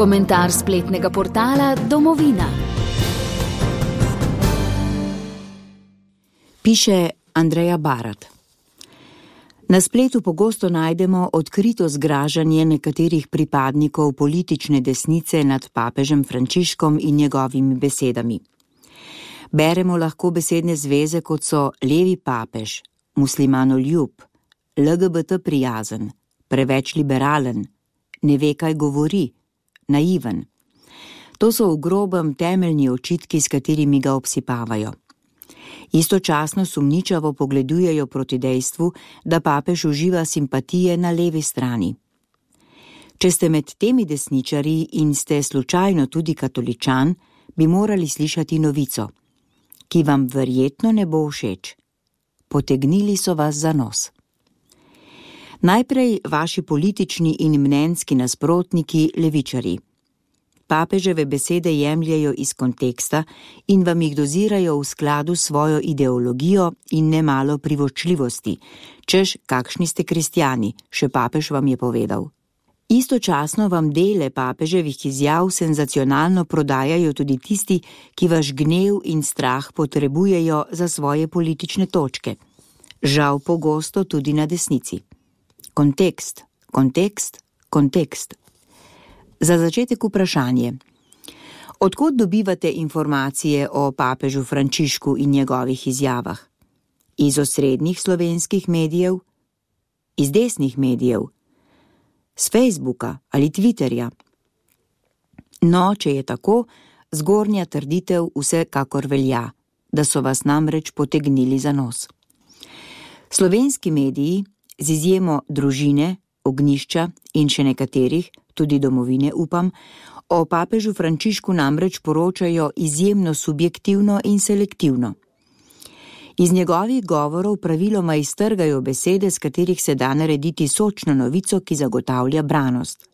Komentar spletnega portala Domovina. Piše Andreja Barat. Na spletu pogosto najdemo odkrito zgražanje nekaterih pripadnikov politične desnice nad papežem Frančiškom in njegovimi besedami. Beremo lahko besedne zveze, kot so levi papež, muslimanoljub, LGBT prijazen, preveč liberalen, ne ve, kaj govori, naiven. To so v grobem temeljni očitki, s katerimi ga obsipavajo. Istočasno sumničavo pogledujejo proti dejstvu, da papež uživa simpatije na levi strani. Če ste med temi desničarji in ste slučajno tudi katoličan, bi morali slišati novico, ki vam verjetno ne bo všeč. Potegnili so vas za nos. Najprej vaši politični in mnenjski nasprotniki levičarji. Papeževe besede jemljejo iz konteksta in vam jih dozirajo v skladu s svojo ideologijo in nemalo privoščljivosti, češ kakšni ste kristjani, še papež vam je povedal. Istočasno vam dele papeževih izjav senzacionalno prodajajo tudi tisti, ki vaš gnev in strah potrebujejo za svoje politične točke. Žal pogosto tudi na desnici. Kontekst, kontekst, kontekst. Za začetek vprašanje. Odkot dobivate informacije o papežu Frančišku in njegovih izjavah? Iz osrednjih slovenskih medijev? Iz desnih medijev? Z Facebooka ali Twitterja? No, če je tako, zgornja trditev vsekakor velja, da so vas namreč potegnili za nos. Slovenski mediji, z izjemo Družine, Ognjišča in še nekaterih, tudi Domovine upam, o papežu Frančišku namreč poročajo izjemno subjektivno in selektivno. Iz njegovih govorov praviloma iztrgajo besede, s katerih se da narediti sočno novico, ki zagotavlja branost.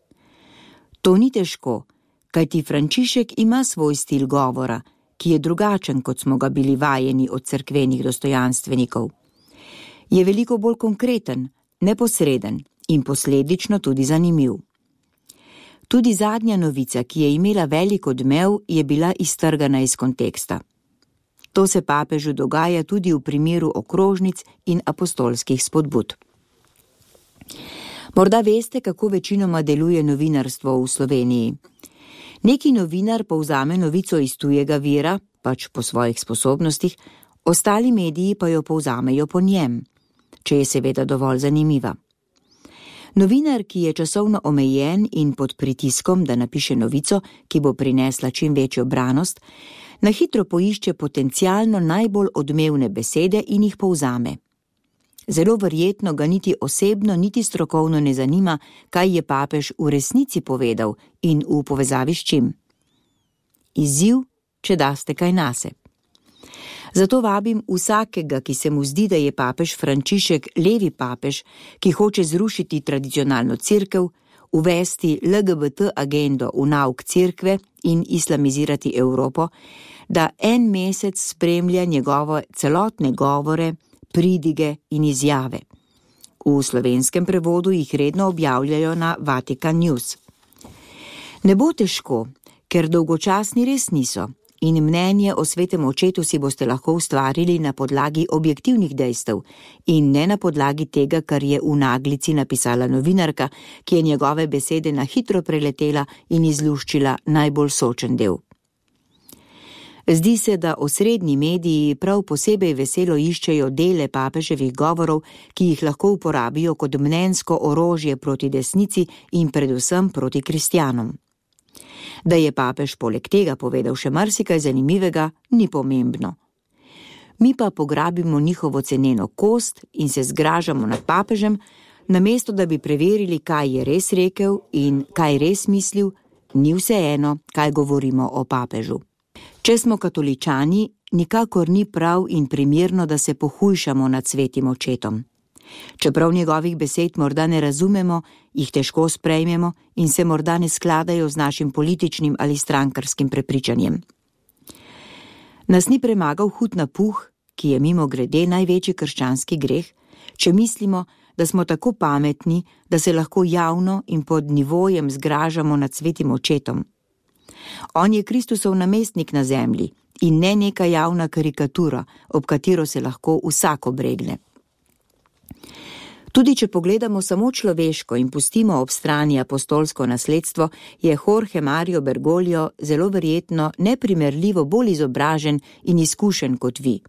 To ni težko, kajti Frančišek ima svoj stil govora, ki je drugačen, kot smo ga bili vajeni od cerkvenih dostojanstvenikov. Je veliko bolj konkreten, neposreden in posledično tudi zanimiv. Tudi zadnja novica, ki je imela velik odmev, je bila iztrgana iz konteksta. To se papežu dogaja tudi v primeru okrožnic in apostolskih spodbud. Morda veste, kako večinoma deluje novinarstvo v Sloveniji. Neki novinar povzame novico iz tujega vira, pač po svojih sposobnostih, ostali mediji pa jo povzamejo po njem, če je seveda dovolj zanimiva. Novinar, ki je časovno omejen in pod pritiskom, da napiše novico, ki bo prinesla čim večjo branost, na hitro poišče potencialno najbolj odmevne besede in jih povzame. Zelo verjetno ga niti osebno, niti strokovno ne zanima, kaj je papež v resnici povedal in v povezavi s čim. Izziv, če daste kaj nase. Zato vabim vsakega, ki se mu zdi, da je papež Frančišek levi papež, ki hoče zrušiti tradicionalno cerkev, uvesti LGBT agendo v nauk cerkve in islamizirati Evropo, da en mesec spremlja njegove celotne govore, pridige in izjave. V slovenskem prevodu jih redno objavljajo na Vatican News. Ne bo težko, ker dolgočasni res niso. In mnenje o svetem očetu si boste lahko ustvarili na podlagi objektivnih dejstev in ne na podlagi tega, kar je v naglici napisala novinarka, ki je njegove besede na hitro preletela in izluščila najbolj sočen del. Zdi se, da osrednji mediji prav posebej veselo iščejo dele papeževih govorov, ki jih lahko uporabijo kot mnenjsko orožje proti desnici in predvsem proti kristjanom. Da je papež poleg tega povedal še marsikaj zanimivega, ni pomembno. Mi pa pograbimo njihovo ceneno kost in se zgražamo nad papežem, namesto da bi preverili, kaj je res rekel in kaj res mislil, ni vseeno, kaj govorimo o papežu. Če smo katoličani, nikakor ni prav in primerno, da se pohujšamo nad svetim očetom. Čeprav njegovih besed morda ne razumemo, jih težko sprejmemo in se morda ne skladajo z našim političnim ali strankarskim prepričanjem. Nas ni premagal hud napuh, ki je mimogrede največji krščanski greh, če mislimo, da smo tako pametni, da se lahko javno in pod nivojem zgražamo nad svetim očetom. On je Kristusov namestnik na zemlji in ne neka javna karikatura, ob katero se lahko vsak obregne. Tudi če pogledamo samo človeško in pustimo ob strani apostolsko nasledstvo, je Jorge Mario Bergoglio zelo verjetno neprimerljivo bolj izobražen in izkušen kot vi.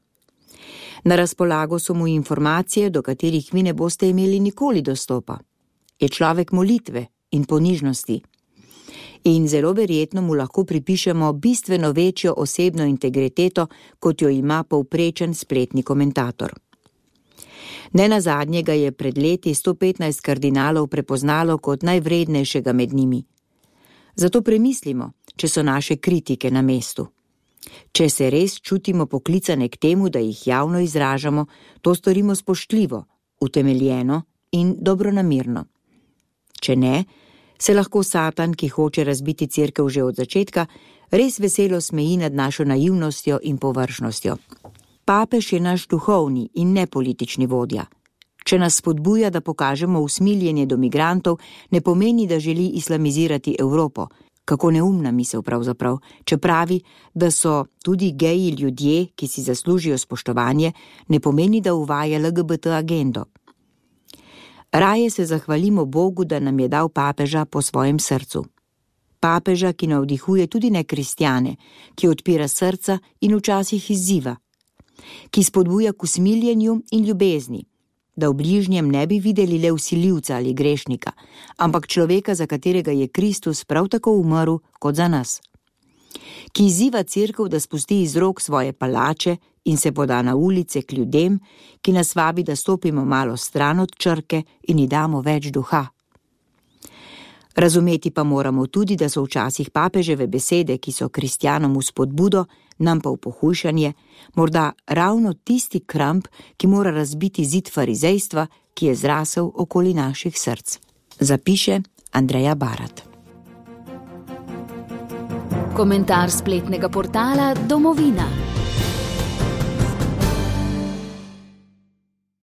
Na razpolago so mu informacije, do katerih vi ne boste imeli nikoli dostopa. Je človek molitve in ponižnosti. In zelo verjetno mu lahko pripišemo bistveno večjo osebno integriteto, kot jo ima povprečen spletni komentator. Nenazadnje ga je pred leti 115 kardinalov prepoznalo kot najvrednejšega med njimi. Zato premislimo, če so naše kritike na mestu. Če se res čutimo poklicane k temu, da jih javno izražamo, to storimo spoštljivo, utemeljeno in dobronamerno. Če ne, se lahko Satan, ki hoče razbiti cerkev že od začetka, res veselo smeji nad našo naivnostjo in površnostjo. Papež je naš duhovni in ne politični vodja. Če nas spodbuja, da pokažemo usmiljenje do migrantov, ne pomeni, da želi islamizirati Evropo. Kako neumna misel pravzaprav, če pravi, da so tudi geji ljudje, ki si zaslužijo spoštovanje, ne pomeni, da uvaja LGBT agendo. Raje se zahvalimo Bogu, da nam je dal papeža po svojem srcu. Papeža, ki navdihuje tudi nekristjane, ki odpira srca in včasih izziva, ki spodbuja k usmiljenju in ljubezni, da v bližnjem ne bi videli le vsiljivca ali grešnika, ampak človeka, za katerega je Kristus prav tako umrl kot za nas. Ki izziva cerkev, da spusti iz rok svoje palače in se poda na ulice k ljudem, ki nas vabi, da stopimo malo stran od črke in ji damo več duha. Razumeti pa moramo tudi, da so včasih papeževe besede, ki so kristjanom v spodbudo, nam pa v pohujšanje, morda ravno tisti kramp, ki mora razbiti zid farizejstva, ki je zrasel okoli naših src. Zapiše Andreja Barat. Komentar spletnega portala Domovina.